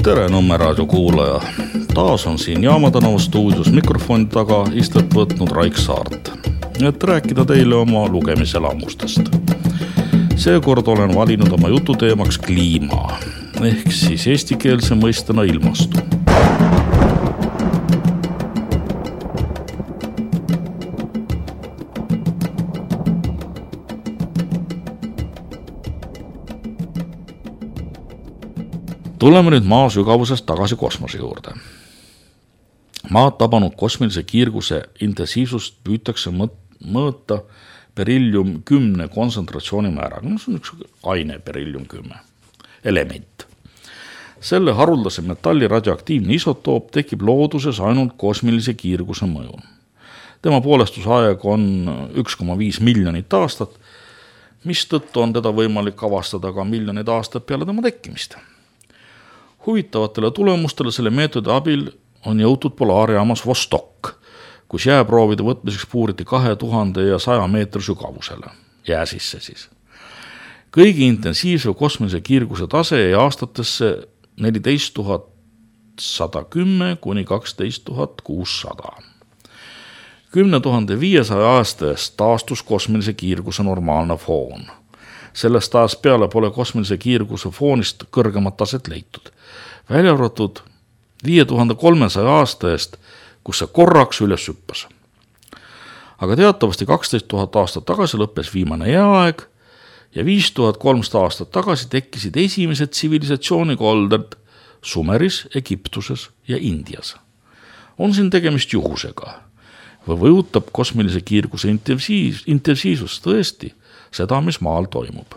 Tere Nõmme raadio kuulaja. Taas on siin Jaama tänava stuudios mikrofoni taga istet võtnud Raik Saart, et rääkida teile oma lugemiselamustest. Seekord olen valinud oma jututeemaks kliima, ehk siis eestikeelse mõistena ilmastu. Tuleme nüüd maa sügavusest tagasi kosmose juurde. Maad tabanud kosmilise kiirguse intensiivsust püütakse mõõta berillium 10 kontsentratsiooni määraga. See on üks aine berillium 10 element. Selle haruldase metalli radioaktiivne isotoop tekib looduses ainult kosmilise kiirguse mõjul. Tema poolestusaeg on 1,5 miljonit aastat, mis tõttu on teda võimalik avastada ka miljonid aastad peale tema tekkimist. Huvitavatele tulemustele selle meetodi abil on jõutud polaarjaamas Vostok, kus jääproovide võtmiseks puuriti 2100 meetri sügavusele, jää sisse siis. Kõigi intensiivse kosmilise kiirguse tase jäi aastatesse 14110 kuni 12600. 10500 aasta eest taastus kosmilise kiirguse normaalne foon. Sellest ajast peale pole kosmilise kiirguse foonist kõrgemat taset leitud. Välja arvatud 5300 aasta eest, kus see korraks üles hüppas. Aga teatavasti 12 000 aastat tagasi lõppes viimane jääaeg ja 5300 aastat tagasi tekkisid esimesed tsivilisatsioonikolded Sumeris, Egiptuses ja Indias. On siin tegemist juhusega või võjutab kosmilise kiirguse intensiivsus tõesti seda, mis maal toimub.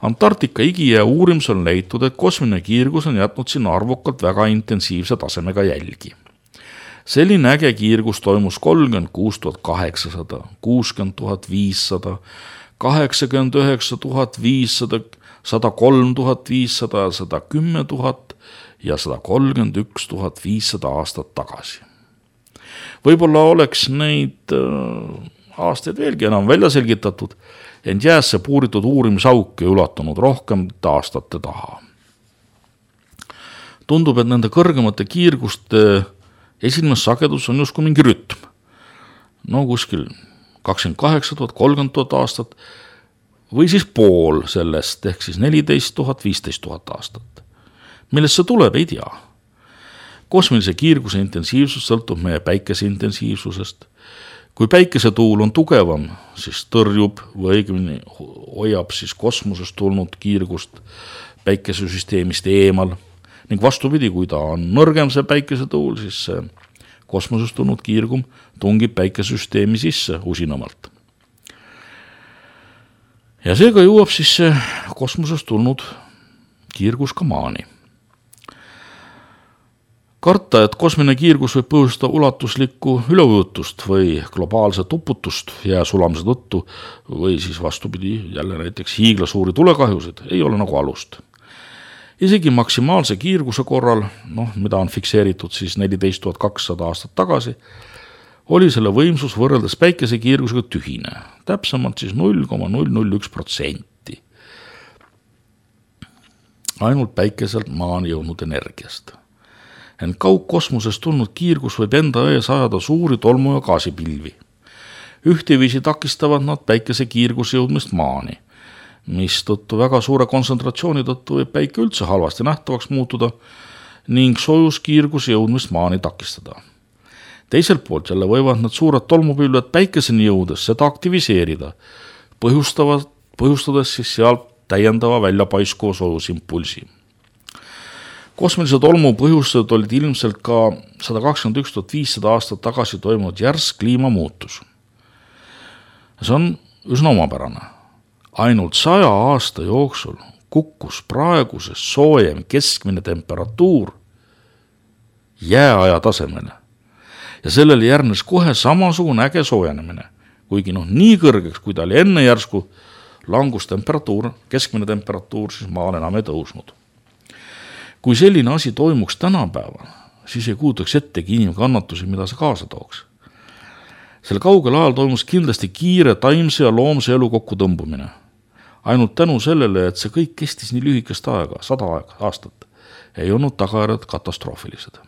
Antarktika igijää uurimisel on leitud, et kosmiline kiirgus on jätnud sinna arvukalt väga intensiivse tasemega jälgi. Selline äge kiirgus toimus 36 800, 60 500, 89 500, 103 500, 110 000 ja 131 500 aastat tagasi. Võib-olla oleks neid aastaid veelgi enam välja selgitatud, ent jäässe puuritud uurimisauk ei ulatunud rohkem aastate taha. Tundub, et nende kõrgemate kiirguste esinemissagedus on justkui mingi rütm. No kuskil 28 000, 30 000 aastat või siis pool sellest, ehk siis 14 000, 15 000 aastat. Millest see tuleb, ei tea. Kosmilise kiirguse intensiivsus sõltub meie päikese intensiivsusest. Kui päikesetuul on tugevam, siis tõrjub või õigemini hoiab siis kosmosest tulnud kiirgust päikesesüsteemist eemal. Ning vastupidi, kui ta on nõrgem see päikesetuul, siis see kosmosest tulnud kiirgum tungib päikesesüsteemi sisse usinamalt. Ja seega jõuab siis see kosmosest tulnud kiirgus ka maani. Karta, et kosmiline kiirgus võib põhjustada ulatuslikku üleujutust või globaalset uputust jää sulamise tõttu või siis vastupidi jälle näiteks hiiglasuuri tulekahjusid, ei ole nagu alust. Isegi maksimaalse kiirguse korral, mida on fikseeritud siis 14 200 aastat tagasi, oli selle võimsus võrreldes päikese kiirgusega tühine, täpsemalt siis 0,001%. Ainult päikeselt maani jõudnud energiast. Ent kaugkosmosest tulnud kiirgus võib enda ees ajada suuri tolmu- ja gaasipilvi. Ühteviisi takistavad nad päikese kiirguse jõudmist maani, mis tõttu väga suure kontsentratsiooni tõttu võib päike üldse halvasti nähtavaks muutuda ning soojuskiirguse jõudmist maani takistada. Teiselt poolt jälle võivad need suured tolmupilved päikeseni jõudes seda aktiviseerida, põhjustades siis sealt täiendava väljapaiskuva soojusimpulsi. Kosmilise tolmu põhjustajad olid ilmselt ka 121 500 aastat tagasi toimunud järsk kliimamuutus. See on üsna omapärane. Ainult 100 aasta jooksul kukkus praeguses soojem keskmine temperatuur jääaja tasemele. Ja sellele järgnes kohe samasugune äge soojenemine, kuigi nii kõrgeks, kui ta oli enne järsku langustemperatuur, keskmine temperatuur, siis maal enam ei tõusnud. Kui selline asi toimuks tänapäeval, siis ei kuutaks ettegi inimkannatusi, mida see kaasa tooks. Sel kaugel ajal toimus kindlasti kiire taimse ja loomse elu kokku tõmbumine. Ainult tänu sellele, et see kõik kestis nii lühikest aega, 100 aastat. ei olnud tagajärjed katastroofilised.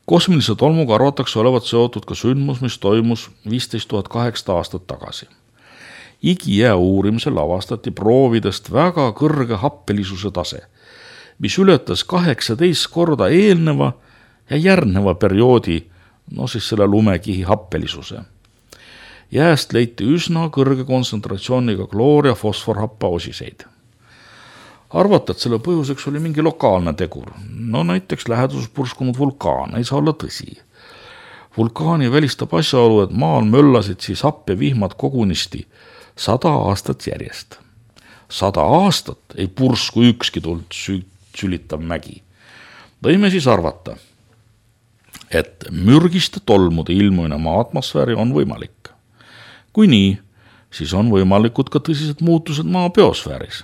Kosmilise tolmuga arvatakse olevat seotud ka sündmus, mis toimus 15 800 aastat tagasi. Igijää uurimisel avastati proovidest väga kõrge happelisuse tase, mis ületas 18 korda eelneva ja järgneva perioodi, selle lumekihi happelisuse. Jääst leiti üsna kõrge kontsentratsiooniga kloor- ja fosforhappe osiseid. Arvata, et selle põhjuseks oli mingi lokaalne tegur. Näiteks läheduses purskunud vulkaan, ei saa olla tõsi. Vulkaani välistab asjaolu, et maal möllasid siis happevihmad kogunisti 100 aastat järjest. 100 aastat ei pursku ükski tuld sülitav mägi. Võime siis arvata, et mürgiste tolmude ilmumine maa atmosfääri on võimalik. Kui nii, siis on võimalikud ka tõsised muutused maa biosfääris.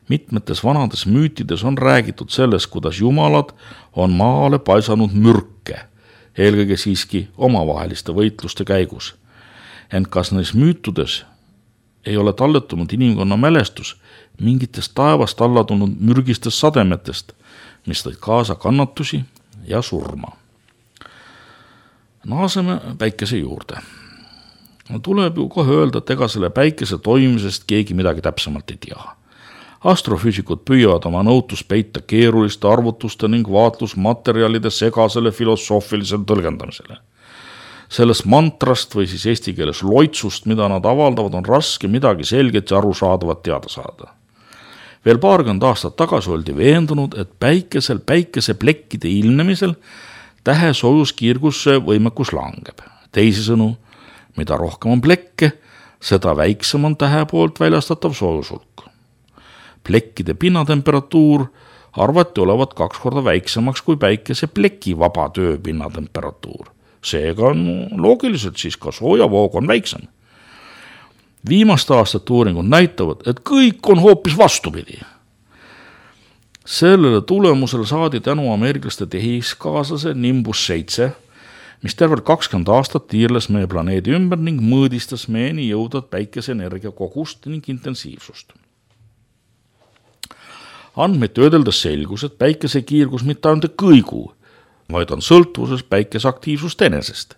Mitmetes vanades müütides on räägitud sellest, kuidas jumalad on maale paisanud mürke, eelkõige siiski omavaheliste võitluste käigus. Ent kas neis müütudes ei ole talletunud inimkonna mälestus mingitest taevast alla tulnud mürgistest sademetest, mis tõid kaasa kannatusi ja surma. Naaseme päikese juurde. Tuleb ju kohe öelda, et ega selle päikese toimimisest keegi midagi täpsemalt ei tea. Astrofüüsikud püüavad oma nõutust peita keeruliste arvutuste ning vaatlusmaterjalide segasele filosoofilisele tõlgendamisele. Sellest mantrast või siis eesti keeles loitsust, mida nad avaldavad, on raske midagi selget ja arusaadavat teada saada. Veel paarkümmend aastat tagasi oldi veendunud, et päikeseplekkide ilmnemisel tähe soojuskiirguse võimekus langeb. Teisisõnu, mida rohkem on plekke, seda väiksem on tähe poolt väljastatav soojushulk. Plekkide pinnatemperatuur arvati olevat 2 korda väiksemaks kui päikesepleki vaba töö pinnatemperatuur. Seega on loogiliselt siis ka soojavoog on väiksem. Viimaste aastate uuringud näitavad, et kõik on hoopis vastupidi. Sellele tulemusel saadi tänu ameeriklaste tehiskaaslase Nimbus 7, mis tervelt 20 aastat tiirles meie planeedi ümber ning mõõdistas meieni jõudvat päikeseenergia kogust ning intensiivsust. Andmeid töödeldes selgus, et päikese kiirgus mitte ainult kõigu, vaid on sõltuvuses päikese aktiivsust enesest.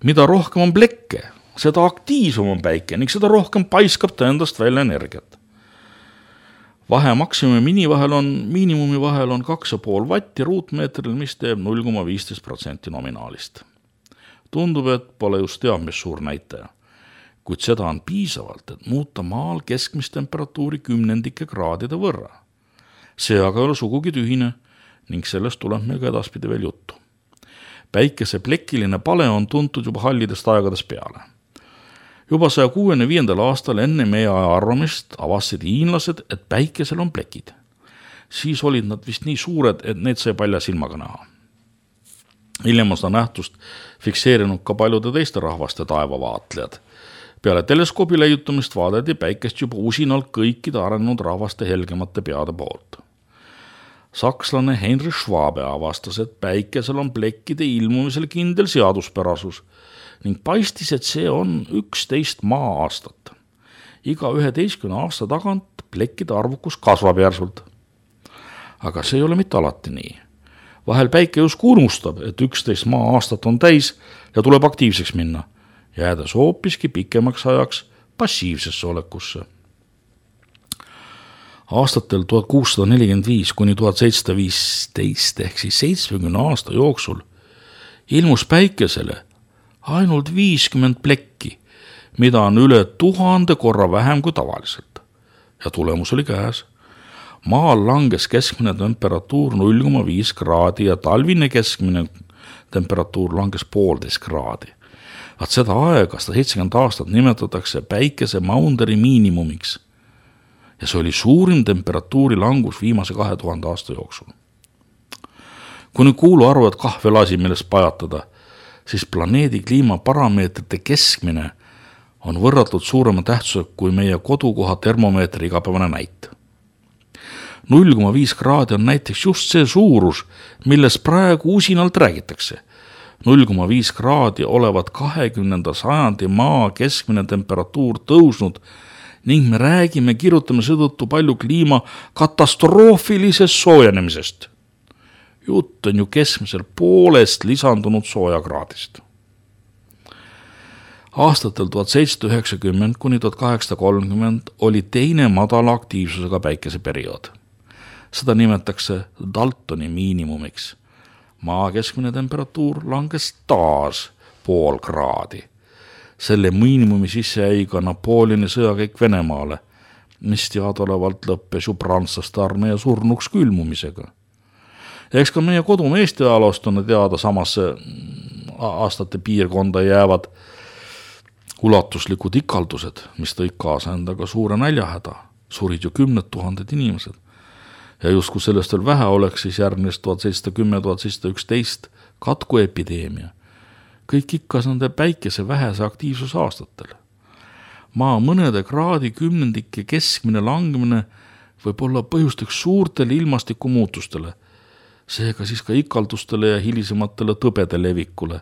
Mida rohkem on plekke, seda aktiivsem on päike ning seda rohkem paiskab ta endast välja energiat. Vahe maksimumi miinimumi vahel on 2,5 vatti ruutmeetril, mis teeb 0,15% nominaalist. Tundub, et pole just teab, mis suur näitaja, kuid seda on piisavalt, et muuta maal keskmist temperatuuri 10 kraadide võrra. See aga ei ole sugugi tühine ning sellest tuleb meil ka edaspidi veel juttu. Päikese plekiline pale on tuntud juba hallidest aegadest peale. Juba 165. aastal enne meie aja arvamist avastasid hiinlased, et päikesel on plekid. Siis olid nad vist nii suured, et need sai palja silmaga näha. Hiljem on seda nähtust fikseerinud ka paljude teiste rahvaste taevavaatlejad. Peale teleskoobi leiutumist vaadati päikest juba usinalt kõikide arenenud rahvaste helgemate peade poolt. Sakslane Heinrich Schwabe avastas, et päikesel on plekkide ilmumisel kindel seaduspärasus ning paistis, et see on 11 maa-aastat. Iga 11 aasta tagant plekkide arvukus kasvab järsult. Aga see ei ole mitte alati nii. Vahel päike just unustab, et 11 maa-aastat on täis ja tuleb aktiivseks minna, jäädes hoopiski pikemaks ajaks passiivsesse olekusse. Aastatel 1645 kuni 1715 ehk siis 70 aasta jooksul ilmus päikesele ainult 50 plekki, mida on üle 1000 korra vähem kui tavaliselt. Ja tulemus oli käes. Maal langes keskmine temperatuur 0,5 kraadi ja talvine keskmine temperatuur langes 1,5 kraadi. Vaat seda aega, 170 aastat nimetatakse päikese Maunderi miinimumiks. Ja see oli suurim temperatuuri langus viimase 2000 aasta jooksul. Kui nüüd kuulu arvad kahvel asi, millest pajatada, siis planeedi kliimaparameetrite keskmine on võrratult suurema tähtsusega kui meie kodukoha termomeetri igapäevane näit. 0,5 kraadi on näiteks just see suurus, milles praegu usinalt räägitakse. 0,5 kraadi olevat 20. sajandi maa keskmine temperatuur tõusnud ning me kirjutame seetõttu palju kliima katastroofilisest soojenemisest. Jutt on ju keskmiselt poolest lisandunud soojakraadist. Aastatel 1790 kuni 1830 oli teine madala aktiivsusega päikeseperiood. Seda nimetakse Daltoni miinimumiks. Maa keskmine temperatuur langes taas pool kraadi. Selle miinimumi sisse jäi ka Napoleoni sõjakäik Venemaale, mis teadaolevalt lõppes ju prantslaste armee surnuks külmumisega. Eks ka meie kodumaa Eesti ajaloost on teada samasse aastate piirkonda jäävad ulatuslikud ikaldused, mis tõid kaasa endaga suure näljahäda. Surid ju 10 000 inimesed. Ja justkui sellest veel vähe oleks, siis järgnes 1710-1711 katkuepideemia. Kõik ikka nende päikese vähese aktiivsuse aastatel. Maa mõnede kraadi kümnendike keskmine langemine võib olla põhjusteks suurtele ilmastikumuutustele, seega siis ka ikaldustele ja hilisematele tõbede levikule.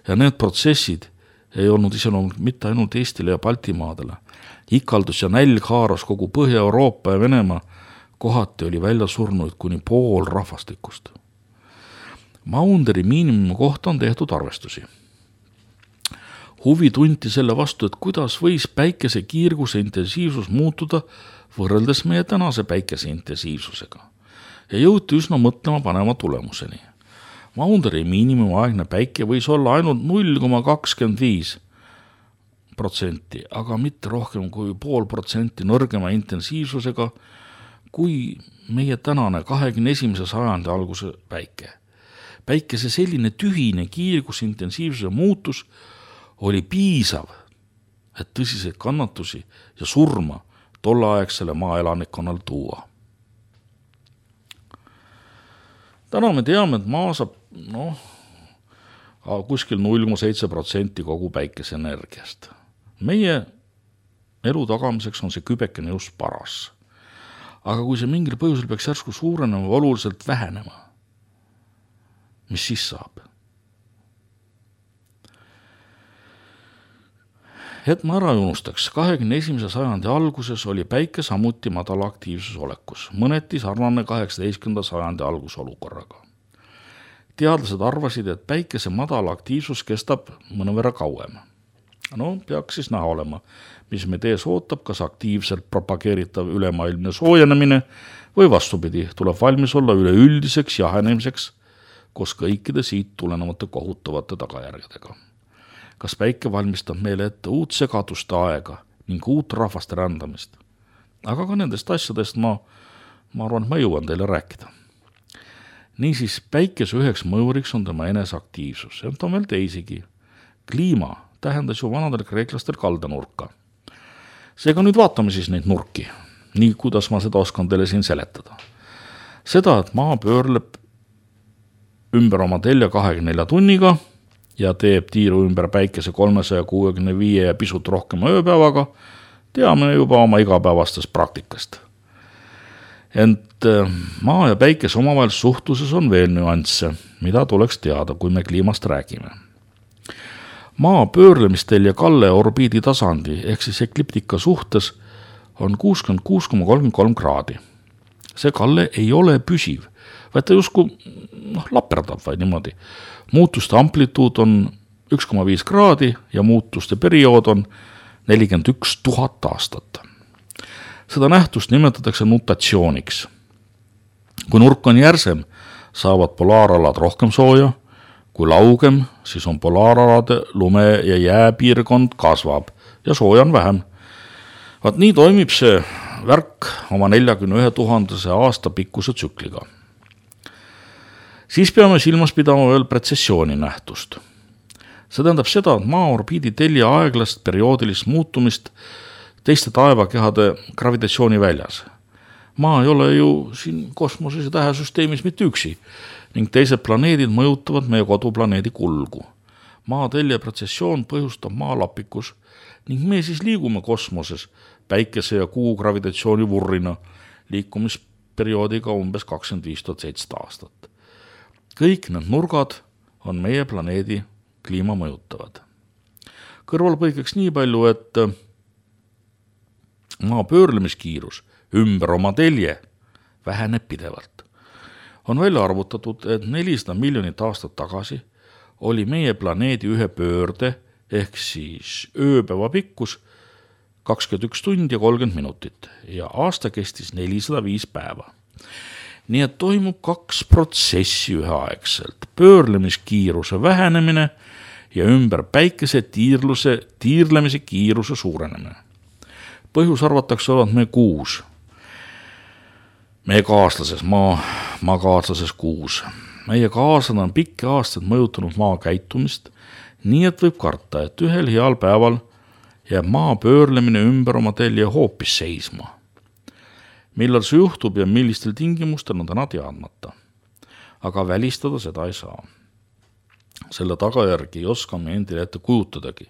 Ja need protsessid ei olnud iseloomulik mitte ainult Eestile ja Baltimaadele. Ikaldus ja nälg haaras kogu Põhja-Euroopa ja Venemaa, kohati oli välja surnuid kuni pool rahvastikust. Maunderi miinimumi kohta on tehtud arvestusi. Huvi tunti selle vastu, et kuidas võis päikese kiirguse intensiivsus muutuda võrreldes meie tänase päikese intensiivsusega. Ja jõuti üsna mõtlema panema tulemuseni. Maunderi miinimumaegne päike võis olla ainult 0,25%, aga mitte rohkem kui 0,5% nõrgema intensiivsusega kui meie tänane 21. sajandi alguse päike. Päikese selline tühine kiirgusintensiivsuse muutus oli piisav, et tõsiseid kannatusi ja surma tolleaegsele maaelanikkonnal tuua. Täna me teame, et maa saab kuskil 0,7% kogu päikeseenergiast. Meie elu tagamiseks on see kübekene just paras. Aga kui see mingil põhjusel peaks järsku suurenema või oluliselt vähenema, mis siis saab? Et ma ära unustaks, 21. sajandi alguses oli päike samuti madala aktiivsus olekus, mõneti sarnane 18. sajandi algusolukorraga. Teadlased arvasid, et päikese madala aktiivsus kestab mõnevõrra kauem. Peaks siis näha olema, mis meid ees ootab, kas aktiivselt propageeritav ülemaailmne soojenemine või vastupidi, tuleb valmis olla üleüldiseks jahenemiseks koos kõikide siit tulenevate kohutavate tagajärgedega. Kas päike valmistab meile ette uut segaduste aega ning uut rahvaste rändamist? Aga ka nendest asjadest ma arvan, et ma jõuan teile rääkida. Niisiis, päikese üheks mõjuriks on tema eneseaktiivsus. Ja on veel teisigi. Kliima tähendas ju vanadel kreeklastel kaldanurka. Seega nüüd vaatame siis neid nurki, nii kuidas ma seda oskan teile siin seletada. Seda, et maa pöörleb ümber oma telja 24 tunniga ja teeb tiiru ümber päikese 365 ja pisut rohkema ööpäevaga, teame juba oma igapäevastest praktikast. Ent maa ja päikese omavahel suhtluses on veel nüansse, mida tuleks teada, kui me kliimast räägime. Maa pöörlemistel ja kalle orbiidi tasandi ehk siis ekliptika suhtes on 66,33 kraadi. See kalle ei ole püsiv, vaid ta justkui laperdab vaid niimoodi. Muutuste amplituud on 1,5 kraadi ja muutuste periood on 41 000 aastat. Seda nähtust nimetatakse nutatsiooniks. Kui nurk on järsem, saavad polaaralad rohkem sooja, kui laugem, siis on polaaralade lume- ja jääpiirkond kasvab ja sooja on vähem. Vaat nii toimib see värk oma 41 000 aasta pikkuse tsükliga. Siis peame silmas pidama veel pretsessiooni nähtust. See tähendab seda, et maa orbiidi telja aeglast perioodilist muutumist teiste taevakehade gravitatsiooni väljas. Maa ei ole ju siin kosmoses ja tähesüsteemis mitte üksi ning teised planeedid mõjutavad meie koduplaneedi kulgu. Maa telja pretsessioon põhjustab maalapikus ning me siis liigume kosmoses päikese ja kuu gravitatsiooni vurrina liikumisperioodiga umbes 25 700 aastat. Kõik need nurgad on meie planeedi kliima mõjutavad. Kõrvalpõikeks nii palju, et Maa pöörlemiskiirus ümber oma telje väheneb pidevalt. On välja arvutatud, et 400 miljonit aastat tagasi oli meie planeedi ühe pöörde ehk siis ööpäeva pikkus 21 tundi ja 30 minutit ja aasta kestis 405 päeva. Nii et toimub 2 protsessi üheaegselt, pöörlemiskiiruse vähenemine ja ümber päikese tiirlemise kiiruse suurenemine. Põhjus arvatakse olevat meie kuus, meie kaaslases, maa kaaslases kuus. Meie kaaslased on pikki aastaid mõjutanud maa käitumist, nii et võib karta, et ühel heal päeval jääb maa pöörlemine ümber oma telje hoopis seisma. Millal see juhtub ja millistel tingimustel on täna teadmata. Aga välistada seda ei saa. Selle tagajärgi ei oska me endile ette kujutadagi,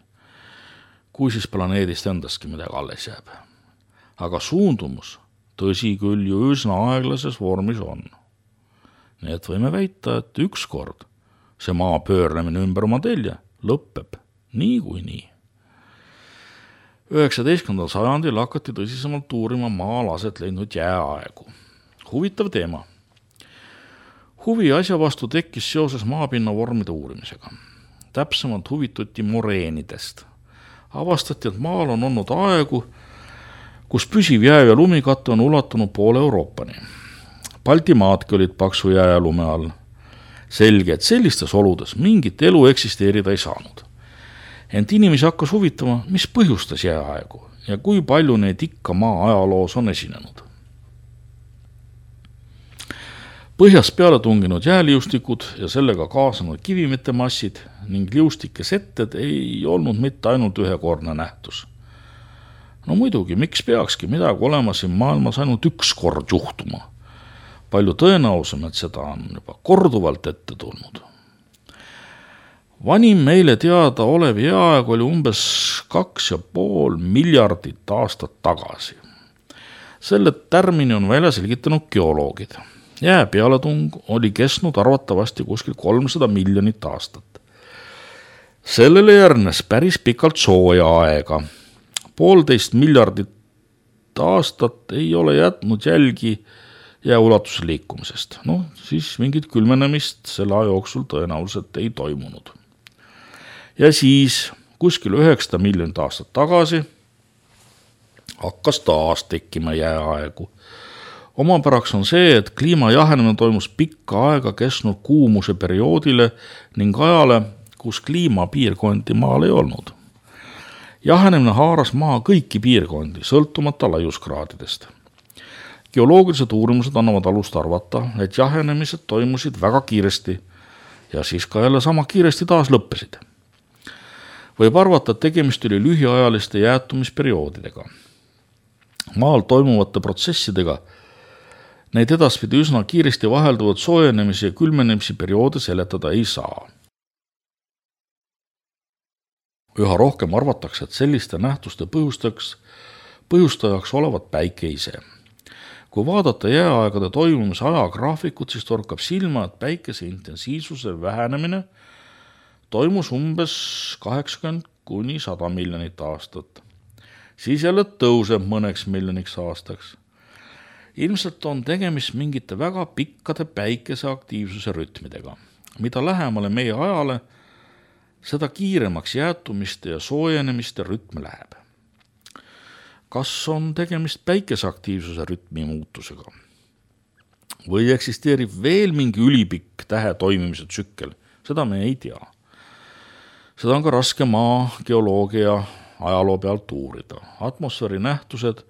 kui siis planeedist endastki midagi alles jääb. Aga suundumus, tõsi küll, ju üsna aeglases vormis on. Nii et võime väita, et ükskord see maa pöörlemine ümber oma telje lõpeb nii kui nii. 19. sajandil hakati tõsisemalt uurima maal aset leidnud jääaegu. Huvitav teema. Huvi asja vastu tekkis seoses maapinna vormide uurimisega. Täpsemalt huvituti moreenidest. Avastati, et maal on olnud aegu, kus püsiv jää ja lumikatte on ulatunud poole Euroopani. Baltimaadki olid paksu jää ja lume all. Selge, et sellistes oludes mingit elu eksisteerida ei saanud. Ent inimesi hakkas huvitama, mis põhjustas jääaegu ja kui palju neid ikka maa ajaloos on esinenud. Põhjast peale tunginud jääliustikud ja sellega kaasanud kivimete massid ning liustike setted ei olnud mitte ainult ühekordne nähtus. No muidugi, miks peakski midagi olema siin maailmas ainult üks kord juhtuma? Palju tõenäosem, et seda on juba korduvalt ette tulnud. Vanim meile teada olev jääaeg oli umbes 2,5 miljardit aastat tagasi. Selle tärmini on välja selgitanud geoloogid. Jää pealetung oli kestnud arvatavasti kuskil 300 miljonit aastat. Sellele järgnes päris pikalt sooja aega. 1,5 miljardit aastat ei ole jätnud jälgi jääulatuse liikumisest. Siis mingit külmenemist selle aja jooksul tõenäoliselt ei toimunud. Ja siis kuskil 900 miljonit aastat tagasi hakkas taas tekkima jääaegu. Omapäraks on see, et kliima jahenemine toimus pikka aega kestnud kuumuse perioodile ning ajale, kus kliimapiirkondi maal ei olnud. Jahenemine haaras maa kõiki piirkondi, sõltumata laiuskraadidest. Geoloogilised uurimused annavad alust arvata, et jahenemised toimusid väga kiiresti ja siis ka jälle sama kiiresti taas lõppesid. Võib arvata, et tegemist oli lühiajaliste jäätumisperioodidega. Maal toimuvate protsessidega neid edaspidi üsna kiiresti vahelduvad soojenemise ja külmenemise perioode seletada ei saa. Üha rohkem arvatakse, et selliste nähtuste põhjustajaks olevat päike ise. Kui vaadata jääaegade toimumise ajagraafikut, siis torkab silma, et päikese intensiivsuse vähenemine toimus umbes 80–100 miljonit aastat. Siis jälle tõuseb mõneks miljoniks aastaks. Ilmselt on tegemist mingite väga pikkade päikese aktiivsuse rütmidega. Mida lähemale meie ajale, seda kiiremaks jäätumiste ja soojenemiste rütm läheb. Kas on tegemist päikese aktiivsuse rütmi muutusega? Või eksisteerib veel mingi ülipikk tähe toimimise tsükkel? Seda me ei tea. Seda on ka raske maa geoloogia ajaloo pealt uurida. Atmosfääri nähtused,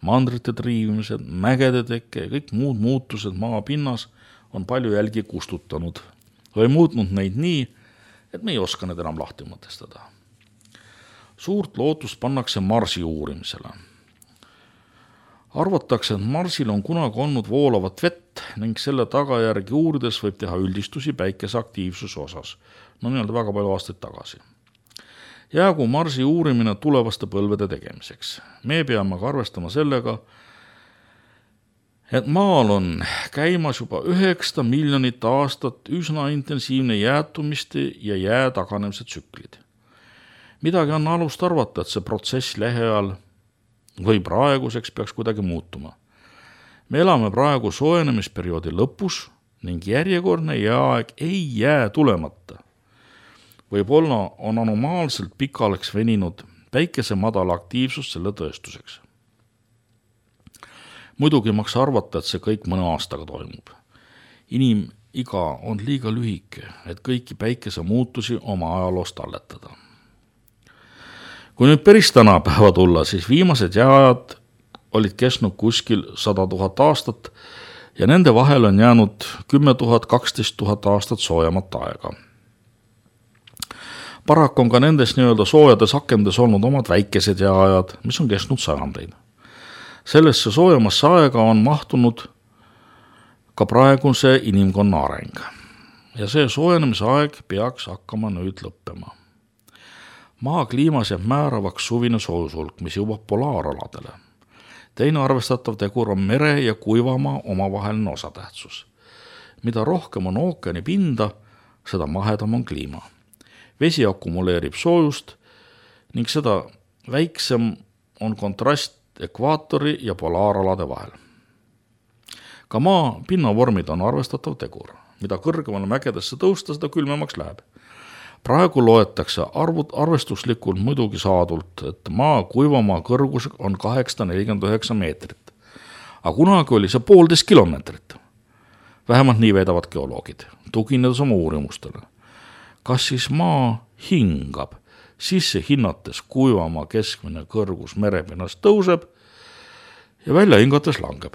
mandrite triivimised, mägede tekke ja kõik muud muutused maa pinnas on palju jälgi kustutanud või muutnud neid nii, et me ei oska need enam lahti mõtestada. Suurt lootust pannakse Marsi uurimisele. Arvatakse, et Marsil on kunagi olnud voolavat vett ning selle tagajärgi uurides võib teha üldistusi päikese aktiivsuse osas. Väga palju aastaid tagasi. Jäägu Marsi uurimine tulevaste põlvede tegemiseks. Me peame ka arvestama sellega, et maal on käimas juba 900 miljonit aastat üsna intensiivne jäätumiste ja jää taganemise tsüklid. Midagi on alust arvata, et see protsess lähiajal või praeguseks peaks kuidagi muutuma. Me elame praegu soojenemisperioodi lõpus ning järjekordne jääaeg ei jää tulemata. Võib-olla on anomaalselt pikaks veninud päikese madala aktiivsus selle tõestuseks. Muidugi maks arvata, et see kõik mõne aastaga toimub. Inimiga on liiga lühike, et kõiki päikese muutusi oma ajaloost talletada. Kui nüüd päris tänapäeva tulla, siis viimased jääajad olid kestnud kuskil 100 000 aastat ja nende vahel on jäänud 10 000, 12 000 aastat soojamat aega. Paraku on ka nendes nii-öelda soojades akendes olnud omad väikesed jääajad, mis on kestnud sajandeid. Sellesse soojamasse aega on mahtunud ka praeguse inimkonna areng. Ja see soojenemise aeg peaks hakkama nüüd lõppema. Maa kliimas jääb määravaks suvine soojushulk, mis jõuab polaaraladele. Teine arvestatav tegur on mere ja kuivamaa omavaheline osatähtsus. Mida rohkem on ookeani pinda, seda mahedam on kliima. Vesi akumuleerib soojust ning seda väiksem on kontrast ekvaatori ja polaaralade vahel. Ka maa pinnavormid on arvestatav tegur. Mida kõrgemale mägedesse tõusta, seda külmemaks läheb. Praegu loetakse arvestuslikult muidugi saadult, et maa kuivamaa kõrgus on 849 meetrit. Aga kunagi oli see 1,5 kilomeetrit. Vähemalt nii veedavad geoloogid, tuginedes oma uurimustele. Kas siis maa hingab, sisse hinnates kuivamaa keskmine kõrgus merepinnast tõuseb ja välja hingates langeb.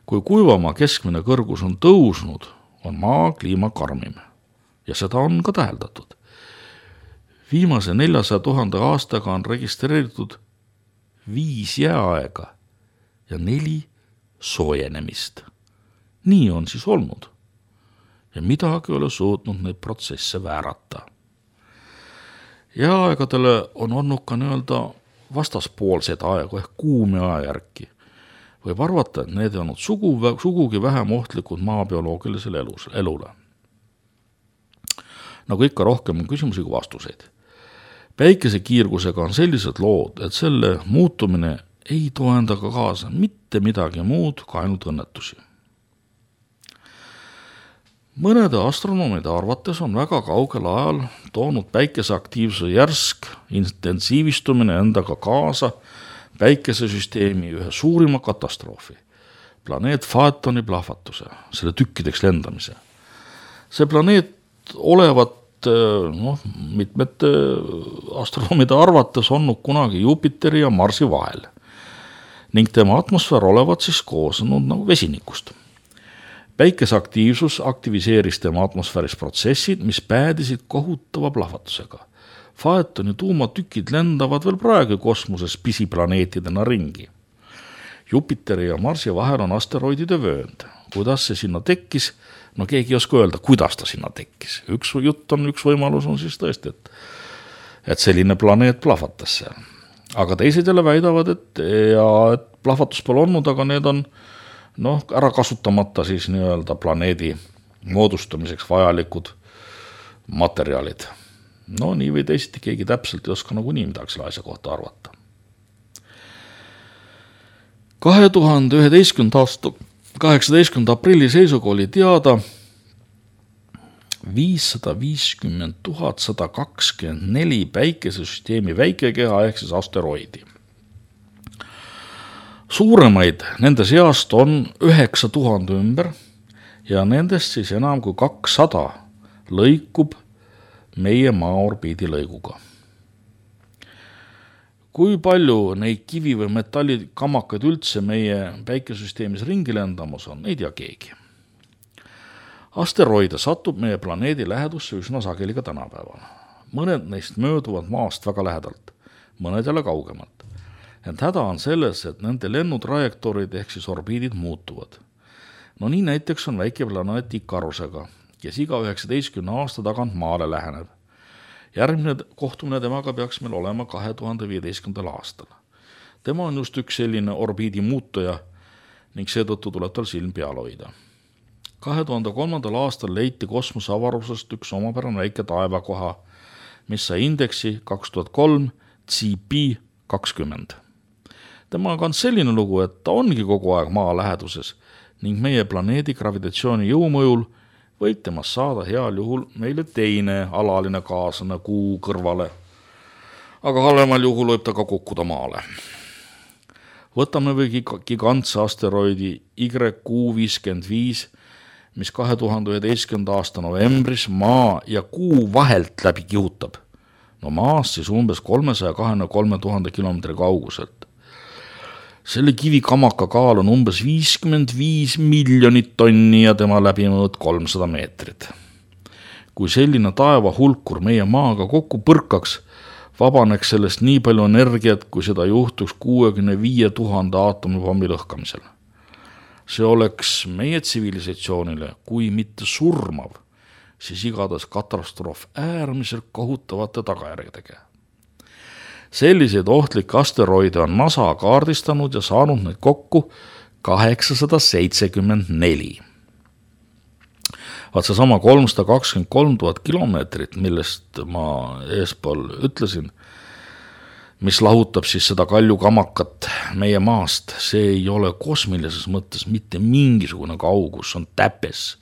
Kui kuivamaa keskmine kõrgus on tõusnud, on maa kliima karmim. Ja seda on ka täheldatud. Viimase 400 000 aastaga on registreeritud 5 jääaega ja 4 soojenemist. Nii on siis olnud. Ja midagi ei ole suutnud neid protsesse väärata. Jääaegadele on olnud ka nii-öelda vastaspoolseid aegu ehk kuumi ajajärki. Võib arvata, et need on olnud sugugi vähem ohtlikud maabioloogilisele elule. Nagu ikka rohkem on küsimusi kui vastuseid. Päikese kiirgusega on sellised lood, et selle muutumine ei too endaga kaasa mitte midagi muud kui ainult õnnetusi. Mõnede astronoomide arvates on väga kaugel ajal toonud päikese aktiivsuse järsk intensiivistumine endaga kaasa päikesesüsteemi ühe suurima katastroofi, planeet Phaetoni plahvatuse, selle tükkideks lendamise. See planeet olevat mitmete astronoomide arvates olnud kunagi Jupiteri ja Marsi vahel ning tema atmosfäär olevat siis koosnenud nagu vesinikust. Päikese aktiivsus aktiviseeris tema atmosfääris protsessid, mis päädisid kohutava plahvatusega. Phaetoni tuumatükid lendavad veel praegu kosmoses pisiplaneetidena ringi. Jupiteri ja Marsi vahel on asteroidide vöönd. Kuidas see sinna tekkis? No keegi ei oska öelda, kuidas ta sinna tekkis. Üks võimalus on siis tõesti, et selline planeet plahvatas seal. Aga teised jälle väidavad, et plahvatus pole olnud, aga need on ära kasutamata siis nii-öelda planeedi moodustamiseks vajalikud materjalid. Nii või teisiti keegi täpselt ei oska nagunii midagi selle asja kohta arvata. 2011. aasta 18. aprilli seisuga oli teada 550 124 päikesesüsteemi väikekeha ehk siis asteroidi. Suuremaid nende seast on 9000 ümber ja nendest siis enam kui 200 lõikub meie maa-orbiidi lõiguga. Kui palju neid kivi- või metallikamakaid üldse meie päikesesüsteemis ringi lendamas on, ei tea keegi. Asteroide satub meie planeedi lähedusse üsna sageli ka tänapäeval. Mõned neist mööduvad maast väga lähedalt, mõned jälle kaugemalt. Ent häda on selles, et nende lennutrajektoorid ehk siis orbiidid muutuvad. Nii näiteks on väike planeet Ikarusega, kes iga 19 aasta tagant maale läheneb. Järgmine kohtumine temaga peaks meil olema 2015. aastal. Tema on just üks selline orbiidi muutuja ning seetõttu tuleb tal silm peal hoida. 2003. aastal leiti kosmoseavarusest üks omapärane väike taevakoha, mis sai indeksi 2003 CP 20. Temaga on selline lugu, et ta ongi kogu aeg maa läheduses ning meie planeedi gravitatsiooni jõumõjul võib temast saada heal juhul meile teine alaline kaaslane kuu kõrvale, aga halvemal juhul võib ta ka kukkuda maale. Võtame või gigantse asteroidi YQ-55, mis 2011. aasta novembris maa ja kuu vahelt läbi kihutab. No maast siis umbes 323 000 kilomeetri kauguselt. Selle kivikamaka kaal on umbes 55 miljonit tonni ja tema läbimõõt 300 meetrit. Kui selline taeva hulkur meie maaga kokku põrkaks, vabaneks sellest nii palju energiat, kui seda juhtuks 65 000 aatomipommi lõhkamisel. See oleks meie tsivilisatsioonile, kui mitte surmav, siis igatahes katastroof äärmiselt kohutavate tagajärgedega. Selliseid ohtlikke asteroide on NASA kaardistanud ja saanud neid kokku 874. Vaat seesama 323 000 kilomeetrit, millest ma eespool ütlesin, mis lahutab siis seda kaljukamakat meie maast, see ei ole kosmilises mõttes mitte mingisugune kaugus, on täpes.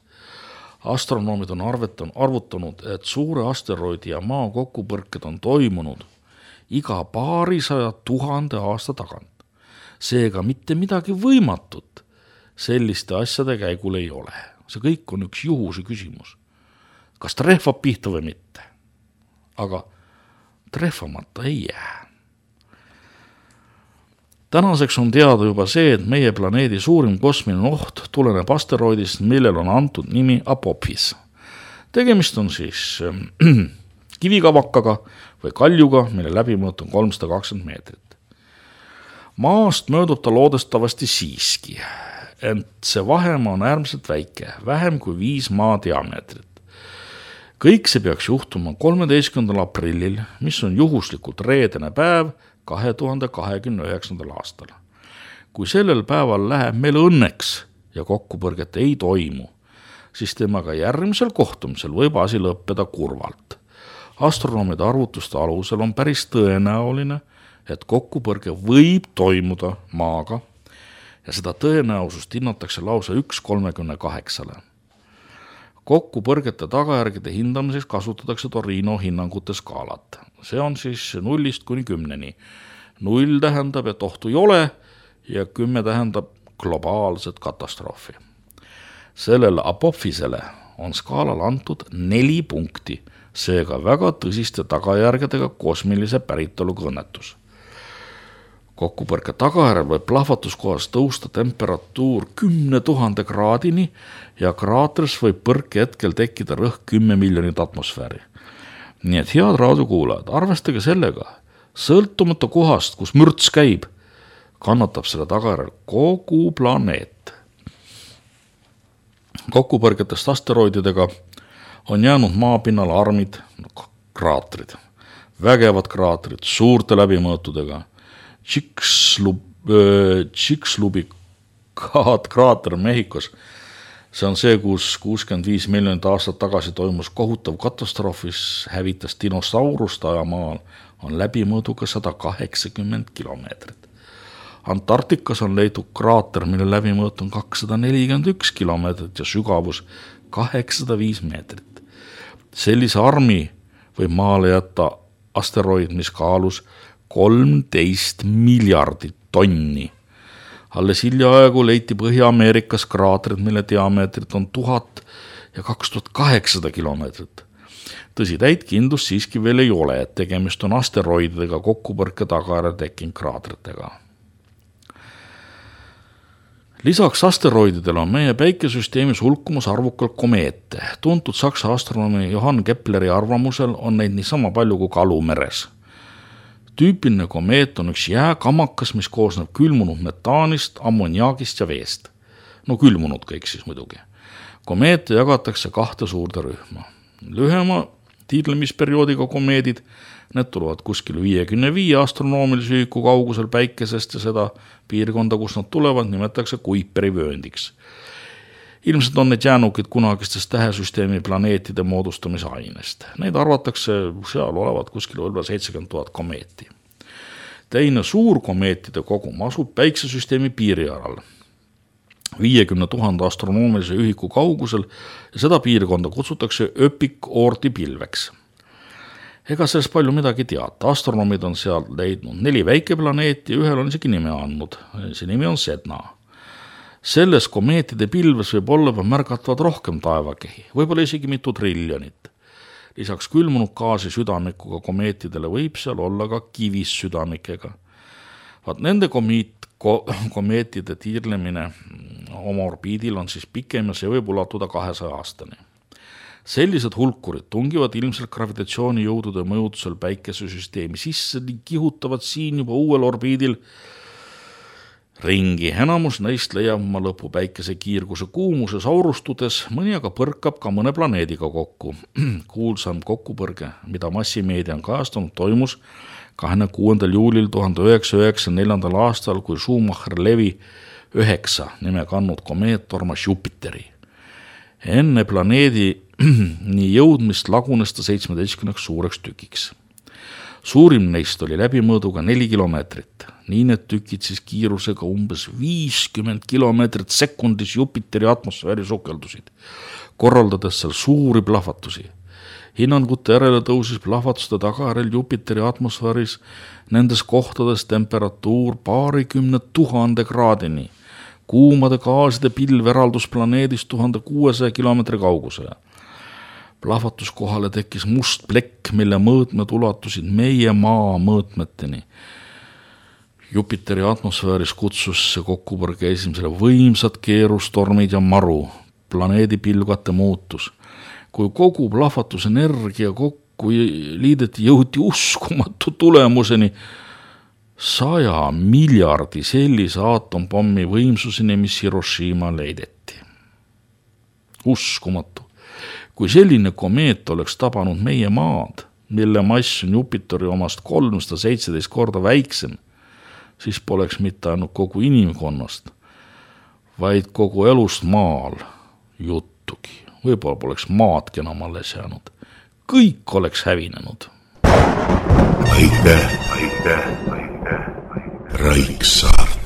Astronoomid on arvutanud, et suure asteroidi ja maa kokkupõrked on toimunud iga paarisaja 1000 aasta tagant. Seega mitte midagi võimatut selliste asjade käigul ei ole. See kõik on üks juhuse küsimus. Kas trehvab pihta või mitte? Aga trehvamata ei jää. Tänaseks on teada juba see, et meie planeedi suurim kosmiline oht tuleneb asteroidist, millel on antud nimi Apophis. Tegemist on siis kivikavakaga või kaljuga, mille läbimõõt on 320 meetrit. Maast möödub ta loodestavasti siiski, ent see vahemaa on äärmiselt väike, vähem kui 5 maa diameetrit. Kõik see peaks juhtuma 13. aprillil, mis on juhuslikult reedene päev 2029. aastal. Kui sellel päeval läheb meil õnneks ja kokkupõrget ei toimu, siis temaga järgmisel kohtumisel võib asi lõppeda kurvalt. Astronoomide arvutuste alusel on päris tõenäoline, et kokkupõrge võib toimuda maaga ja seda tõenäosust hinnatakse lausa 1/38. Kokkupõrgete tagajärgede hindamiseks kasutatakse Torino hinnangute skaalat. See on siis 0–10. 0 tähendab, et ohtu ei ole ja 10 tähendab globaalset katastroofi. Sellele Apophisele on skaalal antud 4 punkti, seega väga tõsiste tagajärgedega kosmilise päritoluga õnnetus. Kokkupõrke tagajärjel võib plahvatuskohas tõusta temperatuur 10 000 kraadini ja kraatris võib põrke hetkel tekkida rõhk 10 miljonit atmosfääri. Nii et head raadiokuulajad, arvestage sellega, sõltumata kohast, kus mürts käib, kannatab selle tagajärjel kogu planeet. Kokkupõrgetest asteroididega on jäänud maapinnal armid, kraatrid, vägevad kraatrid, suurte läbimõõtudega, Chicxulub kraater Mehhikos. See on see, kus 65 miljonit aastat tagasi toimus kohutav katastroofis, hävitas dinosaurust ajamaal, on läbimõõduga 180 kilomeetrit. Antarktikas on leitud kraater, mille läbimõõt on 241 kilomeetrit ja sügavus 805 meetrit. Sellise armi võib maale jätta asteroid, mis kaalus 13 miljardit tonni. Alles hiljaaegu leiti Põhja-Ameerikas kraatrid, mille diameetrit on 1000 ja 2800 kilomeetrit. Tõsi, täit kindlust siiski veel ei ole, et tegemist on asteroididega kokkupõrke tagajärjel tekkinud kraatritega. Lisaks asteroididele on meie päikesüsteemis hulkumas arvukalt komeete. Tuntud saksa astronoomi Johann Kepleri arvamusel on neid niisama palju kui kalu meres. Tüüpiline komeet on üks jääkamakas, mis koosneb külmunud metaanist, ammoniaagist ja veest. No külmunud kõik siis muidugi. Komeete jagatakse 2 suurde rühma. Lühema tiidlemisperioodiga komeedid, need tulevad kuskil 55 astronoomilise ühiku kaugusel päikesest ja seda piirkonda, kus nad tulevad, nimetatakse Kuiperi vööndiks. Ilmselt on need jäänukid kunagistest tähesüsteemi planeetide moodustamise ainest. Neid arvatakse seal olevat kuskil 70 000 komeeti. Teine suur komeetide kogum asub päiksesüsteemi piirialal 50 000 astronoomilise ühiku kaugusel ja seda piirkonda kutsutakse Öpik-Oorti pilveks. Ega sellest palju midagi teata. Astronoomid on seal leidnud 4 väikeplaneeti ja ühel on isegi nime andnud. See nimi on Sedna. Selles komeetide pilves võib olla märgatavad rohkem taevakehi, võib-olla isegi mitu triljonit. Lisaks külmunud gaasi südamikuga komeetidele võib seal olla ka kivis südamikega. Vaat nende komeetide tiirlemine oma orbiidil on siis pikem ja see võib ulatuda 200 aastani. Sellised hulkurid tungivad ilmselt gravitatsioonijõudude mõjutusel päikesesüsteemi sisse ning kihutavad siin juba uuel orbiidil ringi. Enamus neist leiab oma lõpu päikese kiirguse kuumuses aurustudes, mõni aga põrkab ka mõne planeediga kokku. Kuulsam kokkupõrge, mida massimeedia on kajastanud, toimus 26. juulil 1994. aastal, kui Schumacher-Levi 9 nime kannud komeet tormas Jupiteri. Enne planeedi nii jõudmist lagunes ta 17 suureks tükiks. Suurim neist oli läbimõõduga 4 kilomeetrit. Nii need tükid siis kiirusega umbes 50 kilomeetrit sekundis Jupiteri atmosfääri sukeldusid, korraldades seal suuri plahvatusi. Hinnangute järele tõusis plahvatuste tagajärjel Jupiteri atmosfääris nendes kohtades temperatuur 20 000 kraadini. Kuumade gaaside pilv eraldus planeedist 1600 kilomeetri kaugusele. Plahvatuskohale tekkis must plekk, mille mõõtmed ulatusid meie maa mõõtmeteni. Jupiteri atmosfääris kutsus see kokkupõrge esimesele võimsad keerustormid ja maru, planeedi pilvkate muutus. Kui kogu plahvatusenergia kokku liideti, jõuti uskumatu tulemuseni 100 miljardi sellise aatompommi võimsuseni, mis Hiroshima leideti. Uskumatu. Kui selline komeet oleks tabanud meie maad, mille mass on Jupiteri omast 317 korda väiksem, siis poleks mitte ainult kogu inimkonnast, vaid kogu elust maal juttugi. Võib-olla poleks maadki enam alles jäänud. Kõik oleks hävinenud. Aitäh. Raiksaart.